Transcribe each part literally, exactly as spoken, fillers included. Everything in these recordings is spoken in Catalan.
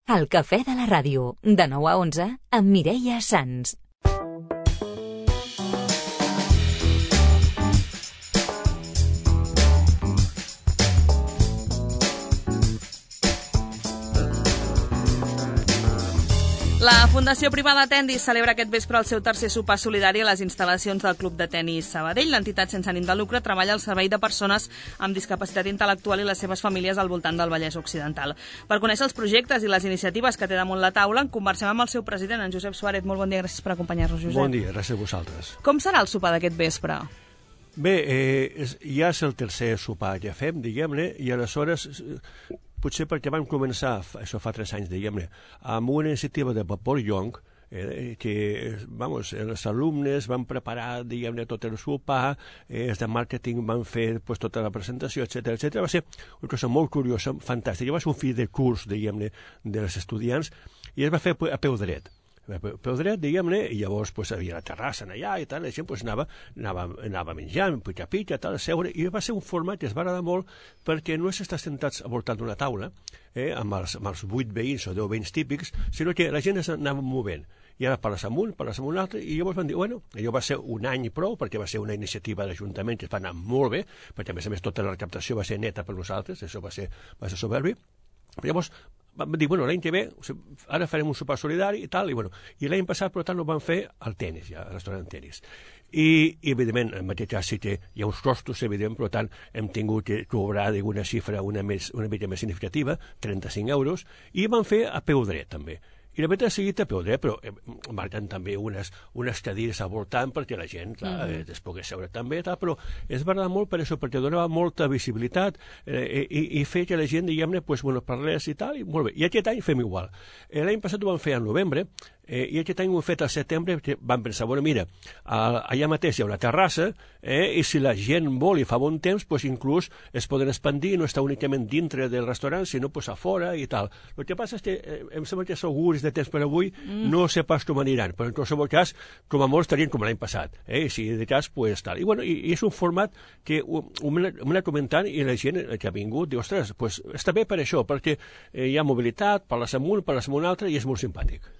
El cafè de la ràdio, de nou a onze, amb Mireia Sans. La Fundació Privada Tendis celebra aquest vespre el seu tercer sopar solidari a les instal·lacions del Club de Tenis Sabadell. L'entitat sense ànim de lucre treballa al servei de persones amb discapacitat intel·lectual i les seves famílies al voltant del Vallès Occidental. Per conèixer els projectes i les iniciatives que té damunt la taula, conversem amb el seu president, en Josep Suárez. Molt bon dia, gràcies per acompanyar-nos, Josep. Bon dia, gràcies a vosaltres. Com serà el sopar d'aquest vespre? Bé, eh, és, ja és el tercer sopar que fem, diguem-ne, i aleshores... Potser perquè vam començar, això fa tres anys, diguem-ne, amb una iniciativa de Vapor Young, eh, que, vamos, els alumnes van preparar, diguem-ne, tot el sopar, eh, els de màrqueting van fer pues, tota la presentació, etcètera, etcètera. Va ser una cosa molt curiosa, fantàstica. Va ser un fill de curs, diguem-ne, dels estudiants, i es va fer a peu dret. Peu dret, diguem-ne, i llavors pues, havia la terrassa allà i tal, i la gent pues, anava, anava, anava menjant, pitja-pitja, tal, a seure, i va ser un format que es va agradar molt perquè no és estar sentats al voltant d'una taula, eh, amb, els, amb els vuit veïns o deu veïns típics, sinó que la gent s'anava movent. I ara parles amb un, parles amb un altre, i llavors van dir, bueno, allò va ser un any i prou, perquè va ser una iniciativa d'Ajuntament que va anar molt bé, perquè a més a més tota la recaptació va ser neta per nosaltres, això va ser, va ser soberbi. Però llavors vam dir, bueno, l'any que ve, ara farem un sopar solidari i tal, i bueno, i l'any passat, per tant, ho vam fer al tenis, ja, al restaurant tenis. I, i evidentment, en aquest cas sí que hi ha uns costos, evident, per tant, hem tingut que cobrar d'una xifra una, més, una mica més significativa, trenta-cinc euros, i vam fer a peu dret, també. I la veritat ha seguit a peu dret, però eh, marquen també unes, unes cadires al voltant perquè la gent clar, mm-hmm. eh, es pogués seure també, tal, però es va agradar molt per això, perquè donava molta visibilitat eh, i, i feia que la gent, diguem-ne, pues, bueno, parlés i tal, i molt bé. I aquest any fem igual. Eh, l'any passat ho vam fer al novembre, eh, i aquest any ho hem fet al setembre, perquè vam pensar, bueno, mira, allà mateix hi ha una terrassa, eh, i si la gent vol i fa bon temps, pues, inclús es poden expandir, no està únicament dintre del restaurant, sinó pues, a fora i tal. El que passa és que eh, em sembla que els augurs de temps per avui, mm. no sé pas com aniran, però en qualsevol cas, com a molts estarien com l'any passat, eh? I si de cas, pues tal. I bueno, i, i és un format que ho, ho m'ha anat comentant i la gent que ha vingut diu, ostres, pues està bé per això, perquè eh, hi ha mobilitat, parles amb un, parles amb un altre i és molt simpàtic.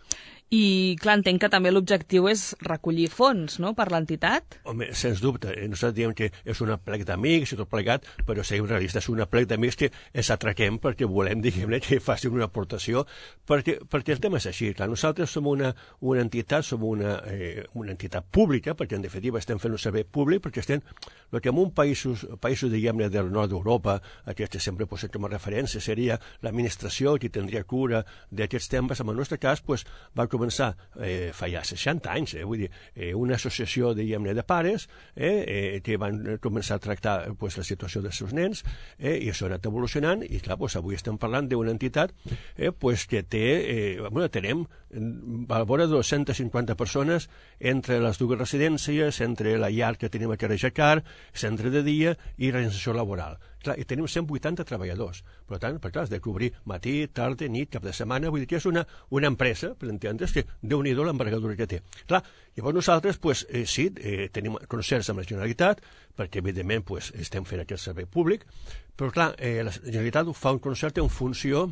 I, clar, entenc que també l'objectiu és recollir fons, no?, per l'entitat? Home, sens dubte. Nosaltres diem que és una plec d'amics i tot plegat, però seguim realistes, és una plec d'amics que ens atraquem perquè volem, diguem-ne, que facin una aportació, perquè, perquè el tema és així. Clar, nosaltres som una, una entitat, som una, eh, una entitat pública, perquè en definitiva estem fent un servei públic, perquè estem, el que en un països, països diguem-ne, del nord d'Europa, aquest sempre posat com a referència, seria l'administració que tindria cura d'aquests temes. En el nostre cas, pues, va començar eh, fa ja seixanta anys, eh, vull dir, eh, una associació, diguem-ne, de pares eh, eh, que van començar a tractar pues, la situació dels seus nens eh, i això ha anat evolucionant i clar, pues, avui estem parlant d'una entitat eh, pues, que té, eh, bueno, tenem a la vora de dues-centes cinquanta persones entre les dues residències, entre la llar que tenim a Carejacar, centre de dia i reinserció laboral. Clar, i tenim cent vuitanta treballadors. Per tant, per clar, has de cobrir matí, tarda, nit, cap de setmana, vull dir que és una, una empresa, per entendre's, que Déu-n'hi-do l'envergadura que té. Clar, llavors nosaltres, pues, eh, sí, eh, tenim concerts amb la Generalitat, perquè evidentment pues, estem fent aquest servei públic, però clar, eh, la Generalitat fa un concert en funció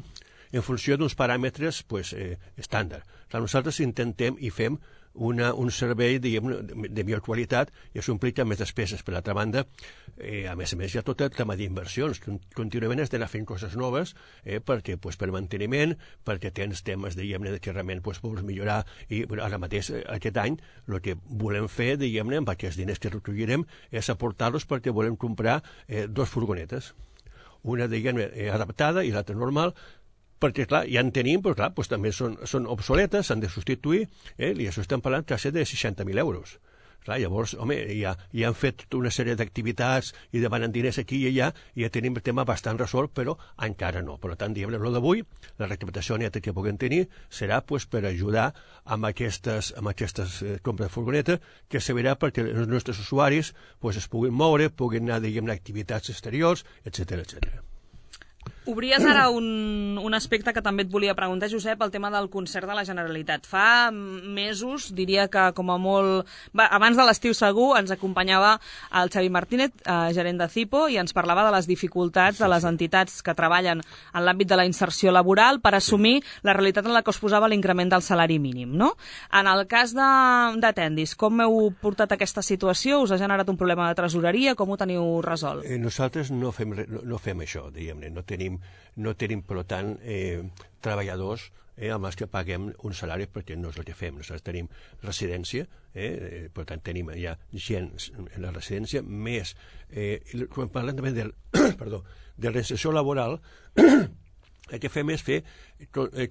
en funció d'uns paràmetres pues, eh, estàndard. Clar, nosaltres intentem i fem una, un servei diguem, de millor qualitat i això implica més despeses. Per l'altra banda, eh, a més a més hi ha tot el tema d'inversions. Contínuament has d'anar fent coses noves eh, perquè, pues, per manteniment, perquè tens temes diguem-ne que realment pues, vols millorar i bueno, ara mateix aquest any el que volem fer diguem-ne amb aquests diners que recollirem és aportar-los perquè volem comprar eh, dos furgonetes. Una diguem-ne adaptada i l'altra normal, perquè, clar, ja en tenim, però, clar, doncs, també són, són obsoletes, s'han de substituir, eh, i això estem parlant quasi de seixanta mil euros. Clar, llavors, home, ja, ja han fet una sèrie d'activitats i demanen diners aquí i allà, i ja tenim el tema bastant resolt, però encara no. Per tant, diguem-ne, el d'avui, la recaptació neta que puguem tenir serà pues, per ajudar amb aquestes, amb aquestes eh, compres de furgoneta, que servirà perquè els nostres usuaris pues, es puguin moure, puguin anar, diguem-ne, a activitats exteriors, etcètera, etcètera. Obries ara un, un aspecte que també et volia preguntar, Josep, el tema del concert de la Generalitat. Fa mesos, diria que com a molt... Va, abans de l'estiu segur, ens acompanyava el Xavi Martínez, eh, gerent de Cipo, i ens parlava de les dificultats de les entitats que treballen en l'àmbit de la inserció laboral per assumir la realitat en la que us posava l'increment del salari mínim, no? En el cas de, de Tendis, com heu portat aquesta situació? Us ha generat un problema de tresoreria? Com ho teniu resolt? Eh, nosaltres no fem, no, no fem això, diguem-ne, no tenim no tenim, per tant, eh, treballadors eh, amb els que paguem un salari perquè no és el que fem. Nosaltres tenim residència, eh, per tant, tenim ja gent en la residència, més, eh, quan parlem també del, perdó, de reinserció laboral, el que fem és fer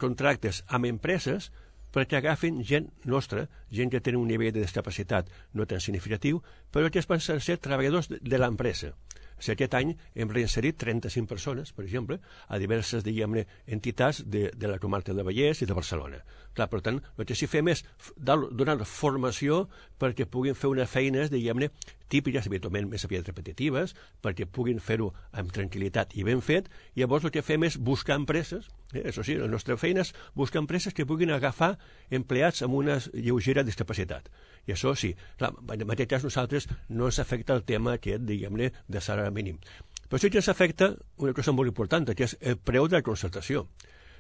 contractes amb empreses perquè agafin gent nostra, gent que té un nivell de discapacitat no tan significatiu, però que es pensen ser treballadors de l'empresa. O sigui, aquest any hem reinserit trenta-cinc persones, per exemple, a diverses, diguem-ne, entitats de, de la comarca de Vallès i de Barcelona. Clar, per tant, el que sí fem és donar formació perquè puguin fer unes feines, diguem-ne, típiques, habitualment més aviat repetitives, perquè puguin fer-ho amb tranquil·litat i ben fet, i llavors el que fem és buscar empreses, eh, això sí, la nostra feina és buscar empreses que puguin agafar empleats amb una lleugera discapacitat. I això sí, clar, en aquest cas nosaltres no ens afecta el tema aquest, diguem-ne, de salari mínim. Però sí que ens afecta una cosa molt important, que és el preu de la concertació.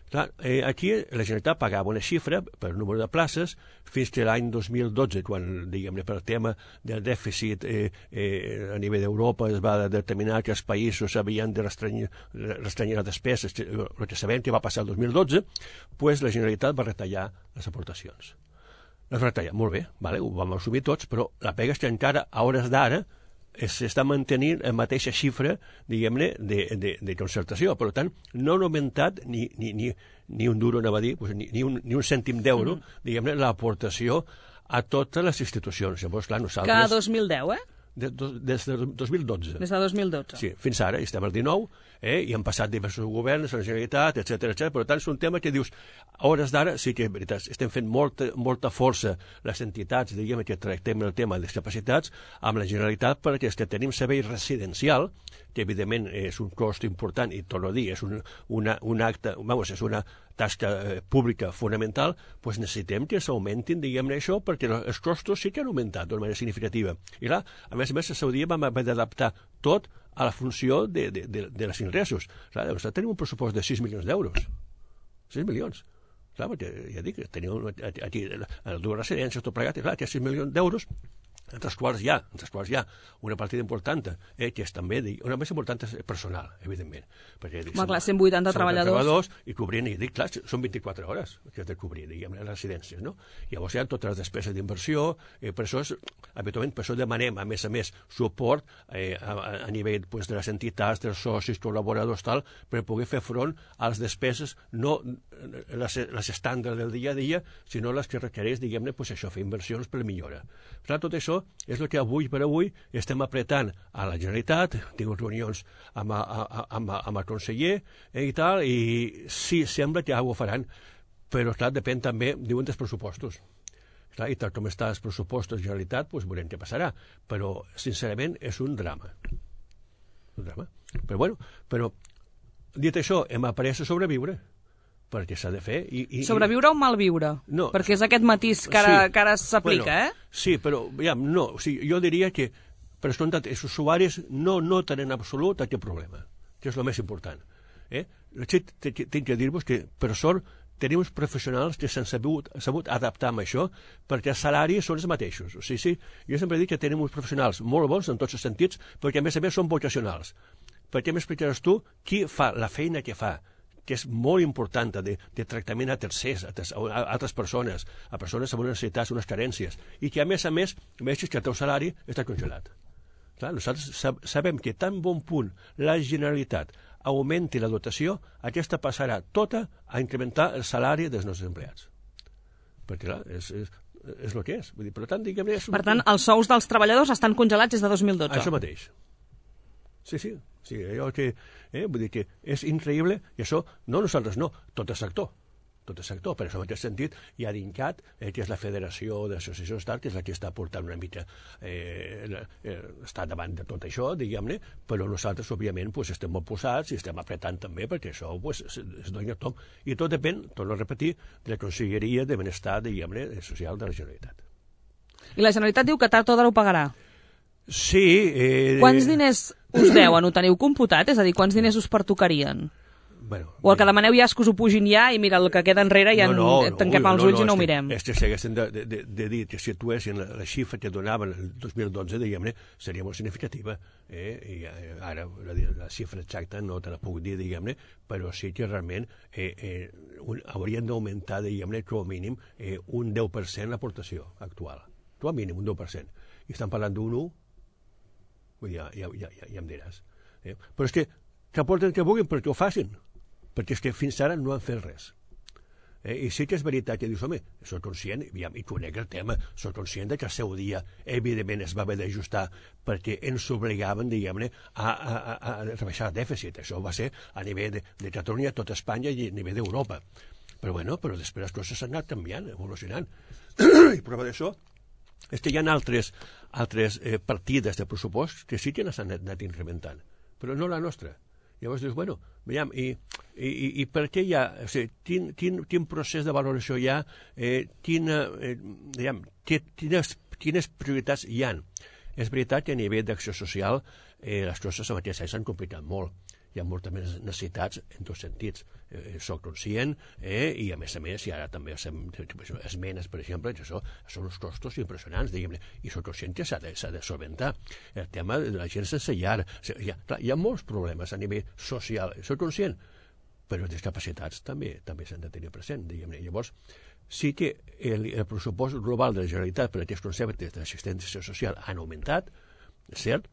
Clar, eh, aquí la Generalitat pagava una xifra per número de places fins que l'any dos mil dotze, quan, diguem-ne, per tema del dèficit eh, eh, a nivell d'Europa es va determinar que els països havien de restrenyir, restrenyir les despeses, el que sabem que va passar el dos mil dotze, pues la Generalitat va retallar les aportacions. Les va retallar, molt bé, vale, ho vam assumir tots, però la pega és que encara, a hores d'ara, s'està mantenint la mateixa xifra, diguem-ne, de, de, de concertació. Per tant, no han augmentat ni, ni, ni, ni un duro, anava a dir, pues, ni, ni, un, ni un cèntim d'euro, mm. diguem-ne, l'aportació a totes les institucions. Llavors, clar, nosaltres... Que a dos mil deu, eh? De, de, des de dos mil dotze. Des de dos mil dotze. Sí, fins ara, estem al dinou, eh, i han passat diversos governs, la Generalitat, etcètera, etcètera. Per tant, és un tema que dius, a hores d'ara, sí que, veritat, estem fent molta, molta força les entitats, diguem que tractem el tema de discapacitats, amb la Generalitat, perquè és que tenim servei residencial, que evidentment és un cost important, i torno a dir, és un, una, un acte, vamos, és una tasca eh, pública fonamental, doncs necessitem que s'augmentin, diguem-ne, això, perquè els costos sí que han augmentat d'una manera significativa. I clar, a més a més, a Saudia vam haver d'adaptar tot a la funció de, de, de, de les ingressos. Clar, doncs tenim un pressupost de sis milions d'euros. sis milions. Clar, perquè ja dic, tenim aquí les dues residències, tot plegat, i clar, té sis milions d'euros, entre els quals hi ha, entre els quals hi ha una partida important, eh, que és també, una més important és personal, evidentment. Perquè, dic, Home, clar, cent vuitanta treballadors. treballadors. I cobrint, i dic, clar, són vint-i-quatre hores que has de cobrir, diguem, les residències, no? Llavors hi ha totes les despeses d'inversió, eh, per això, és, habitualment, per això demanem, a més a més, suport eh, a, a nivell pues, de les entitats, dels socis, col·laboradors, tal, per poder fer front a les despeses, no les, les estàndards del dia a dia, sinó les que requereix, diguem-ne, pues, això, fer inversions per millorar. Clar, tot això és el que avui per avui estem apretant a la Generalitat, tinc reunions amb, a, a, amb, a, amb el conseller eh, i tal, i sí, sembla que ho faran, però clar, depèn també, diuen, dels pressupostos. Clar, i tal com estan els pressupostos de la Generalitat, doncs veurem què passarà, però sincerament és un drama. Un drama. Però bueno, però dit això, hem après a sobreviure, perquè s'ha de fer... I, i, Sobreviure o malviure? No. Perquè és aquest matís que ara, sí, que ara s'aplica, bueno, eh? Sí, però ja, no, o sigui, jo diria que, per escoltat, els usuaris no noten en absolut aquest problema, que és el més important. Eh? Tinc que dir-vos que, per sort, tenim uns professionals que s'han sabut, sabut adaptar amb això, perquè els salaris són els mateixos. O sigui, sí, jo sempre dic que tenim uns professionals molt bons en tots els sentits, perquè a més a més són vocacionals. Per què m'explicaràs tu qui fa la feina que fa, que és molt important de, de tractament a tercers, a, a altres persones, a persones amb unes necessitats, unes carències, i que a més a més vegis que el teu salari està congelat. Clar, nosaltres sabem que tan bon punt la Generalitat augmenti la dotació, aquesta passarà tota a incrementar el salari dels nostres empleats. Perquè clar, és, és, és el que és. Vull dir, per tant, diguem-ne... Per tant, els sous dels treballadors estan congelats des de dos mil dotze. Això mateix. Sí, sí, sí, allò que, eh, vull dir que és increïble, i això, no nosaltres no, tot el sector. tot el sector. Per això, en aquest sentit, hi ha d'INCAT, eh, que és la Federació d'Associacions d'Art, que és la que està portant una mica, eh, eh, està davant de tot això, diguem-ne, però nosaltres, òbviament, pues, estem molt posats i estem apretant també perquè això pues, es, es doni a tom. I tot depèn, torno a repetir, de la Conselleria de Benestar, diguem-ne, social de la Generalitat. I la Generalitat diu que tard o d'ara ho pagarà. Sí. Eh, Quants diners us deuen? Ho teniu computat? És a dir, quants diners us pertocarien? Bueno, o el que demaneu ja és que us ho pugin ja i mira, el que queda enrere ja no, no, en, tanquem no, els no, ulls no, i no ho és mirem. Que, és que si haguessin de, de, de dir que situessin la, la xifra que donaven el dos mil dotze, diguem-ne, seria molt significativa. Eh? I ara la, la xifra exacta no te la puc dir, diguem-ne, però sí que realment eh, eh, un, haurien d'augmentar, diguem-ne, com a mínim eh, un deu per cent l'aportació actual. Com a mínim un deu per cent. I estan parlant d'un u, ja, ja, ja, ja, ja em diràs. Eh? Però és que que aporten que vulguin perquè ho facin, perquè és que fins ara no han fet res. Eh? I sí que és veritat que dius, home, soc conscient, i, i conec el tema, soc conscient que el seu dia, evidentment, es va haver d'ajustar perquè ens obligaven, diguem-ne, a, a, a, a rebaixar el dèficit. Això va ser a nivell de, de Catalunya, tot Espanya i a nivell d'Europa. Però bueno, però després les coses s'han anat canviant, evolucionant. I prova d'això és que hi ha altres, altres eh, partides de pressupost que sí que s'han anat incrementant, però no la nostra. Llavors dius, bueno, veiem, i, i, i per què hi ha, o sigui, quin, quin, quin procés de valoració hi ha, eh, quina, eh, veiem, quines, quines prioritats hi ha. És veritat que a nivell d'acció social eh, les coses en aquest any s'han complicat molt. Hi ha moltes més necessitats en tots sentits. Eh, soc conscient eh, i, a més a més, i ara també fem esmenes, per exemple, que això són uns costos impressionants, diguem-ne, i soc conscient que s'ha de, de solventar. El tema de la gent sense llar. Hi ha, clar, hi ha molts problemes a nivell social, soc conscient, però les discapacitats també també s'han de tenir present, diguem-ne. Llavors, sí que el, el pressupost global de la Generalitat per a aquests conceptes d'assistència social han augmentat, és cert,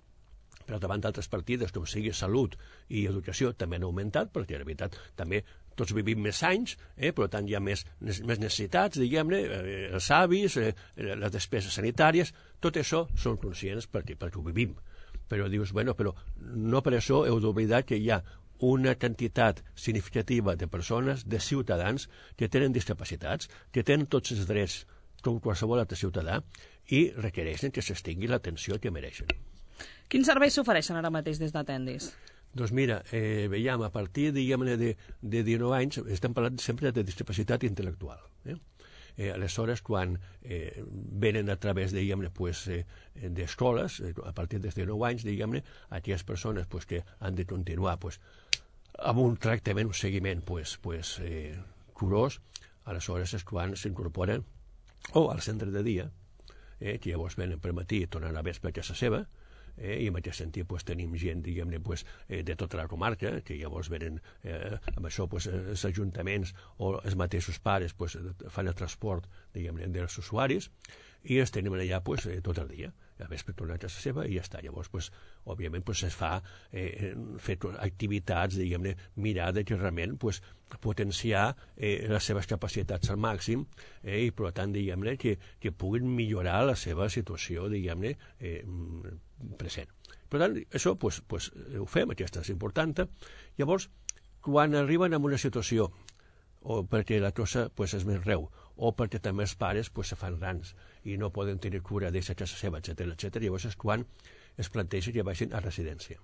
però davant d'altres partides, com sigui salut i educació, també han augmentat, perquè, de veritat, també tots vivim més anys, eh, per tant hi ha més, més necessitats, diguem-ne, eh, els avis, eh, les despeses sanitàries, tot això són conscients perquè, perquè ho vivim. Però dius, bueno, però no per això heu d'oblidar que hi ha una quantitat significativa de persones, de ciutadans, que tenen discapacitats, que tenen tots els drets com qualsevol altre ciutadà i requereixen que s'estingui l'atenció que mereixen. Quins serveis s'ofereixen ara mateix des d'Atendis? Doncs mira, eh, veiem, a partir, diguem-ne, de, de dinou anys, estem parlant sempre de discapacitat intel·lectual. Eh? Eh, aleshores, quan eh, venen a través, diguem-ne, pues, eh, d'escoles, eh, a partir dels dinou anys, diguem-ne, aquelles persones pues, que han de continuar pues, amb un tractament, un seguiment pues, pues, eh, curós, aleshores és quan s'incorporen o al centre de dia, eh, que llavors venen per matí i tornen a vespre a casa seva, Eh, i en aquest sentit pues, tenim gent, diguem-ne, pues, eh, de tota la comarca, que llavors venen eh, amb això pues, els ajuntaments o els mateixos pares pues, fan el transport, diguem-ne, dels usuaris, i els tenim allà pues, eh, tot el dia. A vespre tornar a casa seva i ja està. Llavors, pues, òbviament, pues, es fa eh, fer activitats, diguem-ne, mirar de que realment pues, potenciar eh, les seves capacitats al màxim eh, i, per tant, diguem-ne, que, que puguin millorar la seva situació, diguem-ne, eh, present. Per tant, això pues, pues, ho fem, aquesta és important. Llavors, quan arriben a una situació o perquè la cosa pues, és més greu, o perquè també els pares pues, se fan grans i no poden tenir cura d'eixa casa seva, etcètera, etcètera, llavors és quan es planteja que vagin a residència.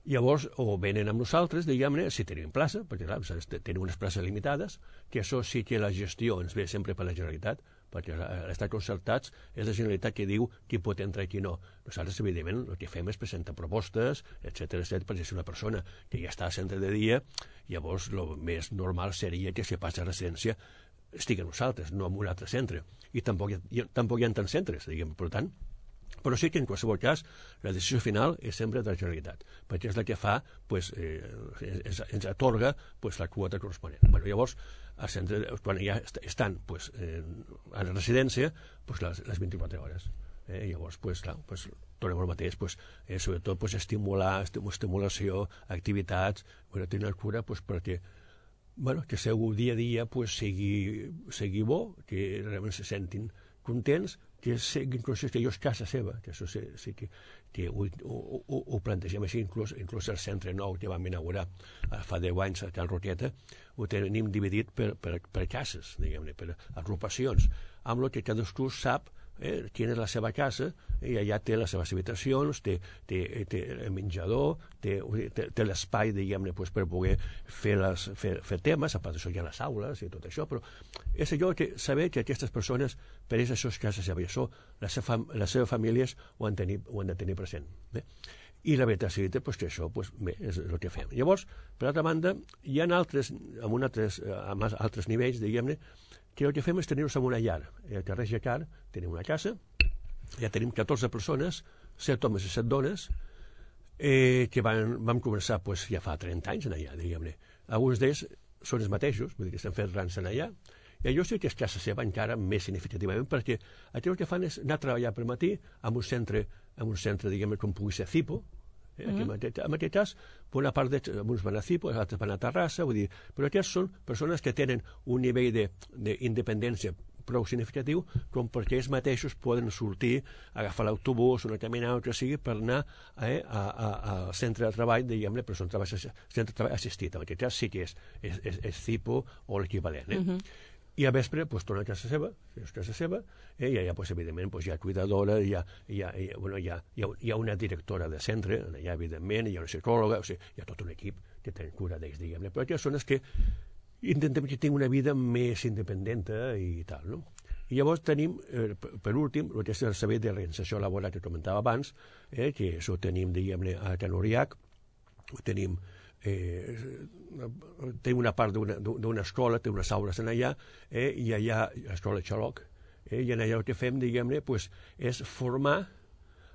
Llavors, o venen amb nosaltres, diguem-ne, si tenim plaça, perquè clar, tenim unes places limitades, que això sí que la gestió ens ve sempre per la Generalitat, perquè l'estat concertats és la Generalitat que diu qui pot entrar i qui no. Nosaltres, evidentment, el que fem és presentar propostes, etcètera, etcètera, perquè si una persona que ja està al centre de dia, llavors el més normal seria que si passa a residència estigui a nosaltres, no en un altre centre. I tampoc hi ha, tampoc hi ha tants centres, diguem, per tant. Però sí que en qualsevol cas la decisió final és sempre de la Generalitat, perquè és la que fa, pues, eh, ens, ens atorga pues, la quota corresponent. Bueno, llavors, al centre, quan ja estan pues, eh, a la residència, pues, les, les vint-i-quatre hores. Eh, llavors, pues, clar, pues, tornem al mateix, pues, eh, sobretot pues, estimular, estimulació, activitats, bueno, tenir cura pues, perquè bueno, que el seu dia a dia pues, sigui, sigui bo, que realment se sentin contents, que sigui inclús que és casa seva, que això sí, sí que, que ho, ho, ho, ho plantegem així, inclús, inclús el centre nou que vam inaugurar fa deu anys a Can Roqueta, ho tenim dividit per, per, per cases, diguem-ne, per agrupacions, amb el que cadascú sap eh, quina és la seva casa, i allà té les seves habitacions, té, té, té el menjador, té, té, té l'espai, diguem-ne, pues, per poder fer, les, fer, fer temes, a part d'això hi ha les aules i tot això, però és allò que saber que aquestes persones, per ells això és casa seva, i això les, fam les seves famílies ho han, tenir, ho han de tenir present. Eh? I la veritat és pues, que això pues, bé, és el que fem. Llavors, per altra banda, hi ha altres, amb, altres, amb altres nivells, diguem-ne, que el que fem és tenir-nos en una llar. El carrer Jacar tenim una casa, ja tenim catorze persones, set homes i set dones, eh, que van, vam començar pues, ja fa trenta anys en allà, diguem-ne. Alguns d'ells són els mateixos, vull dir que estan fent grans en allà, i allò sí que és casa seva encara més significativament, perquè aquí el que fan és anar a treballar per matí en un centre, en un centre diguem-ne, com pugui ser Cipo. Eh? Mm -hmm. En aquest cas, per una part d'uns van a Cipo, els altres van a Terrassa, vull dir, però aquests són persones que tenen un nivell d'independència prou significatiu com perquè ells mateixos poden sortir, agafar l'autobús, una caminada, o que sigui, per anar eh, al centre de treball, diguem-ne, però són treball, centre de treball assistit. En aquest cas sí que és, és, és, és Cipo o l'equivalent. Eh? Mm -hmm. I a vespre pues, torna a casa seva, és casa seva, eh, i allà, pues, evidentment, pues, hi ha cuidadora, hi ha, hi, ha, hi, ha, bueno, hi, ha, hi, ha, hi ha una directora de centre, allà, evidentment, hi ha una psicòloga, o sigui, hi ha tot un equip que té cura d'ells, diguem-ne, però aquestes són les que intentem que tinguin una vida més independent i tal, no? I llavors tenim, eh, per últim, el que és el servei de reinserció laboral que comentava abans, eh, que això ho tenim, diguem-ne, a Can Uriac, ho tenim Eh, té una part d'una escola, té unes aules en allà, eh, i allà, l'escola Xaloc, eh, i en allà el que fem, diguem-ne, pues, és formar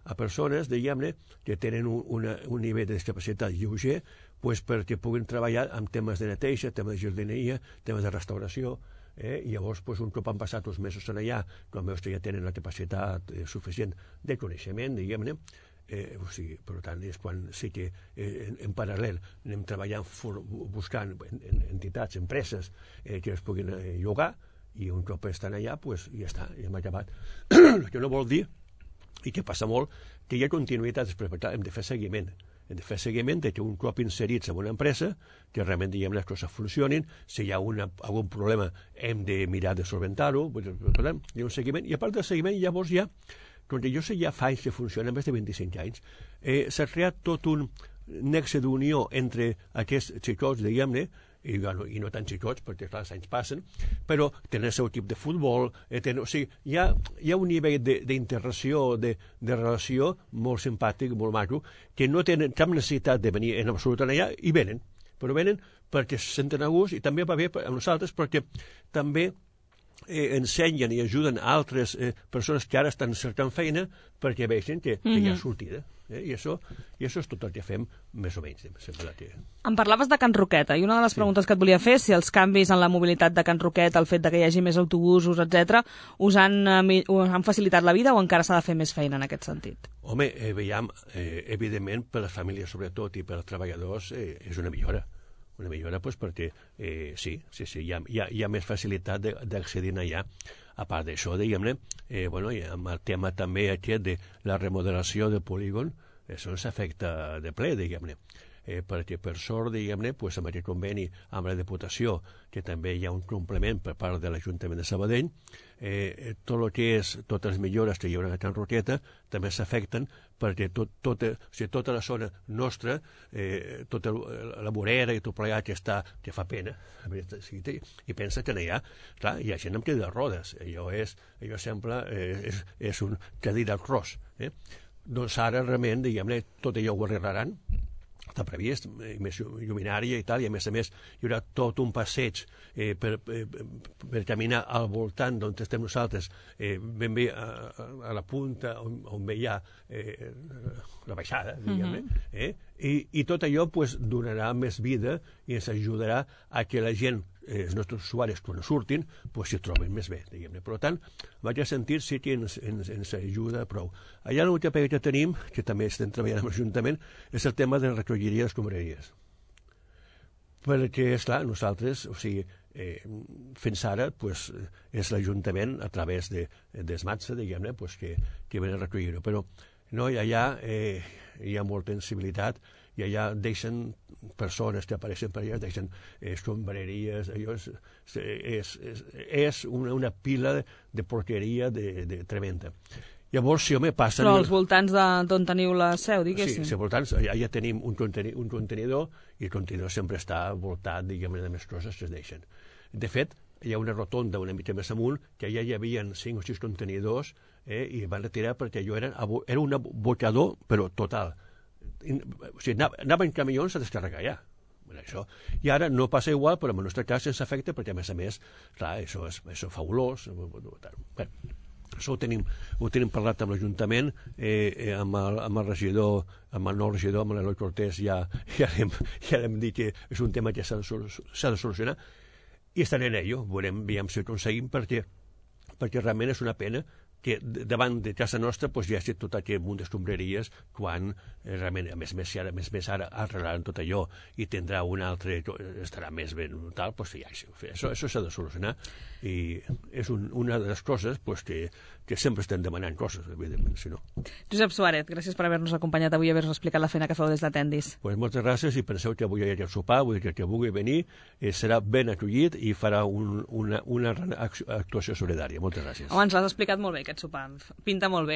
a persones, diguem-ne, que tenen un, una, un nivell de discapacitat lleuger, pues, perquè puguin treballar amb temes de neteja, temes de jardineria, temes de restauració, eh, i llavors, pues, un cop han passat uns mesos en allà, quan veus que ja tenen la capacitat eh, suficient de coneixement, diguem-ne, Eh, o sigui, per tant, és quan sí que eh, en, en paral·lel anem treballant for, buscant en, en, entitats, empreses eh, que es puguin eh, llogar, i un cop estan allà, pues, ja està, ja hem acabat. El que no vol dir, i que passa molt, que hi ha continuïtat després, per tant, hem de fer seguiment. Hem de fer seguiment de que un cop inserits en una empresa, que realment, diguem, les coses funcionin, si hi ha una, algun problema hem de mirar de solventar-ho, per tant, hi ha un seguiment, i a part del seguiment llavors hi ha, com jo sé ja fa anys que funciona, més de vint-i-cinc anys, eh, s'ha creat tot un nexe d'unió entre aquests xicots, diguem-ne, i, bueno, i no tan xicots, perquè clar, els anys passen, però tenen el seu equip de futbol, eh, tenen, o sigui, hi ha, hi ha un nivell d'interacció, de, de relació molt simpàtic, molt maco, que no tenen cap necessitat de venir en absolut allà, i venen, però venen perquè se senten a gust, i també va bé a nosaltres perquè també Eh, ensenyen i ajuden a altres eh, persones que ara estan cercant feina perquè vegin que, que hi ha sortida. Eh? I, això, I això és tot el que fem, més o menys. Sembla que... Em parlaves de Can Roqueta, i una de les sí. preguntes que et volia fer és si els canvis en la mobilitat de Can Roqueta, el fet de que hi hagi més autobusos, etcètera, us han, eh, us han facilitat la vida o encara s'ha de fer més feina en aquest sentit? Home, eh, veiem, eh, evidentment, per les famílies sobretot i per als treballadors, eh, és una millora. Una millora pues, perquè eh, sí, sí, sí, hi ha, hi ha, hi ha més facilitat d'accedir allà. A part d'això, diguem-ne, eh, bueno, amb el tema també aquest de la remodelació del polígon, això ens afecta de ple, diguem-ne. Eh, perquè per sort, diguem-ne, pues, amb aquest conveni amb la Diputació, que també hi ha un complement per part de l'Ajuntament de Sabadell, eh, tot el que és, totes les millores que hi haurà a Can Roqueta també s'afecten perquè tot, tot, o sigui, tota la zona nostra, eh, tota la vorera i tot plegat que, està, que fa pena, i pensa que no hi ha, clar, hi ha gent amb cadira de rodes, allò, és, allò sembla, eh, és, és un cadira al cross. Eh? Doncs ara, realment, diguem-ne, tot allò ho arreglaran, està previst, més lluminària i tal, i a més a més hi haurà tot un passeig eh, per, eh, per caminar al voltant d'on estem nosaltres, eh, ben bé a, a la punta on, on hi ha eh, la baixada, diguem-ne, eh? I, i tot allò pues, donarà més vida i ens ajudarà a que la gent, eh, els nostres usuaris, quan surtin, pues, s'hi troben més bé, diguem-ne. Per tant, en aquest sentit sí que ens, ens, ens ajuda prou. Allà l'última pega que tenim, que també estem treballant amb l'Ajuntament, és el tema de la recolliria de les escombraries. Perquè, esclar, nosaltres, o sigui, eh, fins ara pues, és l'Ajuntament, a través de, d'Esmatsa, diguem-ne, pues, que, que ven a recollir-ho. Però no, allà eh, hi ha molta sensibilitat, i allà deixen persones que apareixen per allà, deixen eh, sombreries, allò és, és, és, és una, una pila de, de porqueria de, de tremenda. Llavors, si home passen... Però als voltants d'on teniu la seu, diguéssim. Sí, als voltants, allà ja tenim un, conteni, un contenidor, i el contenidor sempre està voltat, diguem-ne, de més coses que es deixen. De fet, hi ha una rotonda una mica més amunt, que allà hi havia cinc o sis contenidors, eh, i van retirar perquè allò era, era un abocador, però total. O sigui, anaven camions a descarregar allà. Bueno, això. I ara no passa igual, però en el nostre cas sense efecte, perquè a més a més, clar, això és, això és fabulós. Bé, això ho tenim, ho tenim parlat amb l'Ajuntament, eh, eh, amb, el, amb el regidor, amb el nou regidor, amb l'Eloi Cortés, ja, ja, hem, ja hem dit que és un tema que s'ha de, s'ha de solucionar, i estaré en ello, veurem, veiem si ho aconseguim, perquè, perquè realment és una pena que davant de casa nostra pues, hi ha tot aquest munt d'escombraries quan eh, realment, a més a més, ara, més, més ara arreglaran tot allò i tindrà un altre, estarà més ben tal, pues, ja, això, això s'ha de solucionar, i és un, una de les coses pues, que, que sempre estem demanant coses, evidentment, si no. Josep Suárez, gràcies per haver-nos acompanyat avui i haver-nos explicat la feina que feu des d'Atendis. Pues moltes gràcies, i penseu que avui hi ha el sopar, vull dir que el que vulgui venir eh, serà ben acollit i farà un, una, una actuació solidària. Moltes gràcies. Home, ens l'has explicat molt bé, aquest sopar. Pinta molt bé.